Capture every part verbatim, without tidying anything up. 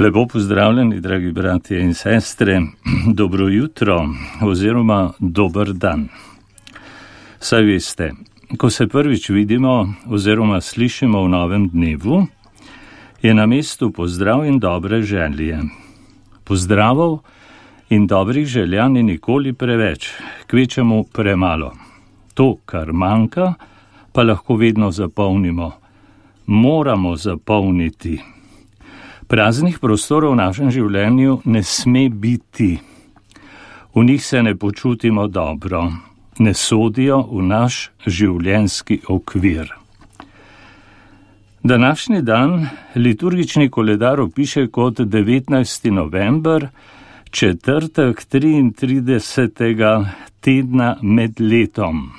Lepo pozdravljeni, dragi bratje in sestre, dobro jutro oziroma dober dan. Saj veste, ko se prvič vidimo oziroma slišimo v novem dnevu, je na mestu pozdrav in dobre želje. Pozdravov in dobrih želja ni nikoli preveč, kvečemu premalo. To, kar manjka, pa lahko vedno zapolnimo. Moramo zapolniti. Praznih prostorov v našem življenju ne sme biti. V njih se ne počutimo dobro, ne sodijo v naš življenjski okvir. Današnji dan liturgični koledar opiše kot devetnajsti november, četrtek triintridesetega tedna med letom.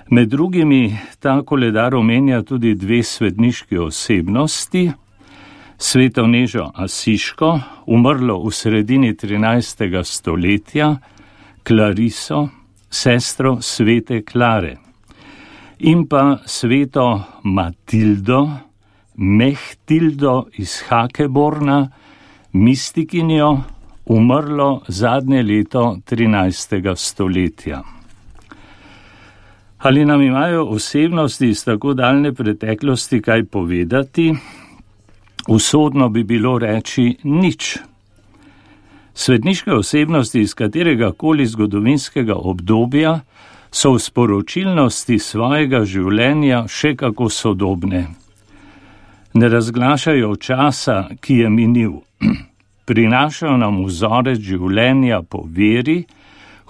Med drugimi ta koledar omenja tudi dve svetniški osebnosti, Sveto Nežo Asiško, umrlo v sredini trinajstega stoletja, Klariso, sestro svete Klare, in pa sveto Matildo, Mehtildo iz Hakeborna, mistikinjo, umrlo zadnje leto trinajstega stoletja. Ali nam imajo osebnosti iz tako daljne preteklosti kaj povedati? Usodno bi bilo reči nič. Svetniške osebnosti iz katerega koli zgodovinskega obdobja so v sporočilnosti svojega življenja še kako sodobne. Ne razglašajo časa, ki je minil. Prinašajo nam vzorec življenja po veri,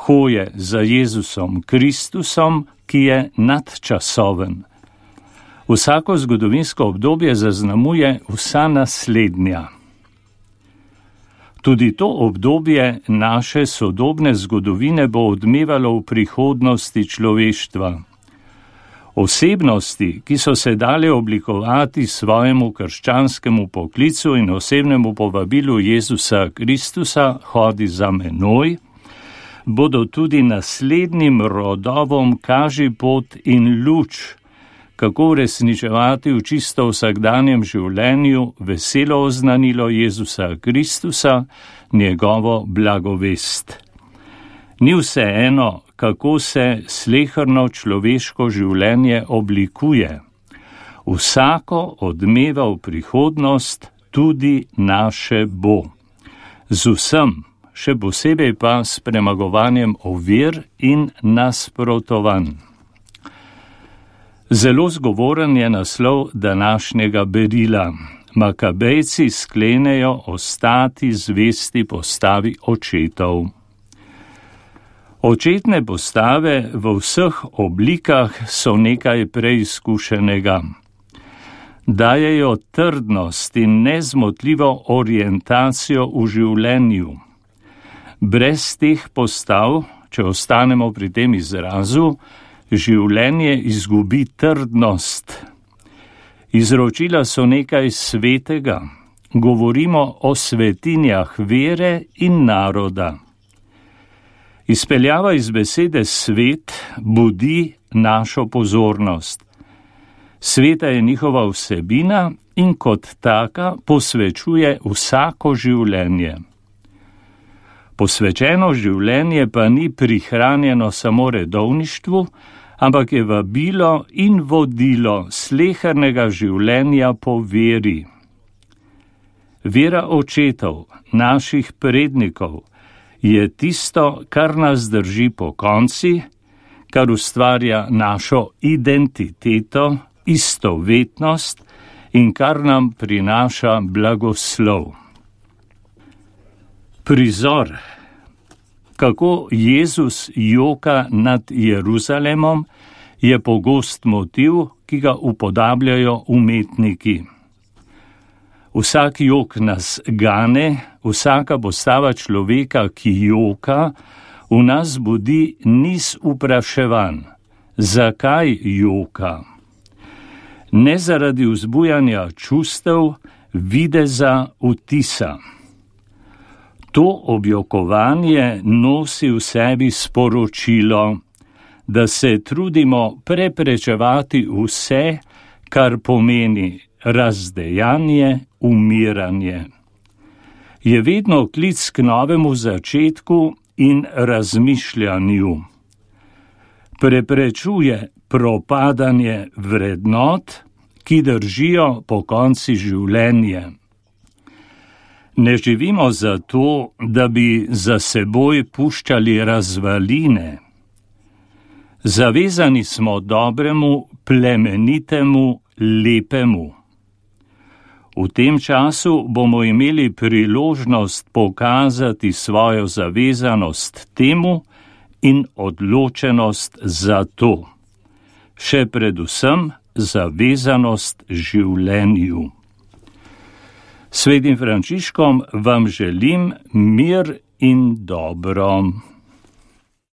hoje za Jezusom Kristusom, ki je nadčasoven. Vsako zgodovinsko obdobje zaznamuje vsa naslednja. Tudi to obdobje naše sodobne zgodovine bo odmevalo v prihodnosti človeštva. Osebnosti, ki so se dale oblikovati svojemu krščanskemu poklicu in osebnemu povabilu Jezusa Kristusa, hodi za menoj, bodo tudi naslednjim rodovom kaži pot in luč, kako uresničevati v čisto vsakdanjem življenju veselo oznanilo Jezusa Kristusa, njegovo blagovest. Ni vseeno, kako se sleherno človeško življenje oblikuje. Vsako odmeva v prihodnost, tudi naše bo. Z vsem, še posebej pa s premagovanjem ovir in nasprotovanj. Zelo zgovoren je naslov današnjega berila. Makabejci sklenejo ostati zvesti postavi očetov. Očetne postave v vseh oblikah so nekaj preizkušenega. Dajejo trdnost in nezmotljivo orientacijo v življenju. Brez teh postav, če ostanemo pri tem izrazu, življenje izgubi trdnost. Izročila so nekaj svetega. Govorimo o svetinjah vere in naroda. Izpeljava iz besede svet budi našo pozornost. Sveta je njihova vsebina in kot taka posvečuje vsako življenje. Posvečeno življenje pa ni prihranjeno samo redovništvu, ampak je vabilo in vodilo slehernega življenja po veri. Vera očetov, naših prednikov, je tisto, kar nas drži po konci, kar ustvarja našo identiteto, istovetnost in kar nam prinaša blagoslov. Prizor, kako Jezus joka nad Jeruzalemom, je pogost motiv, ki ga upodabljajo umetniki. Vsak jok nas gane, vsaka postava človeka, ki joka, v nas budi niz vpraševanj. Zakaj joka? Ne zaradi vzbujanja čustev, videza, vtisa. To objokovanje nosi v sebi sporočilo, da se trudimo preprečevati vse, kar pomeni razdejanje, umiranje. je vedno klic k novemu začetku in razmišljanju. Preprečuje propadanje vrednot, ki držijo po konci življenja. Ne živimo zato, da bi za seboj puščali razvaline. Zavezani smo dobremu, plemenitemu, lepemu. V tem času bomo imeli priložnost pokazati svojo zavezanost temu in odločenost za to. Še predvsem zavezanost življenju. Svetim Frančiškom vam želim mir in dobro.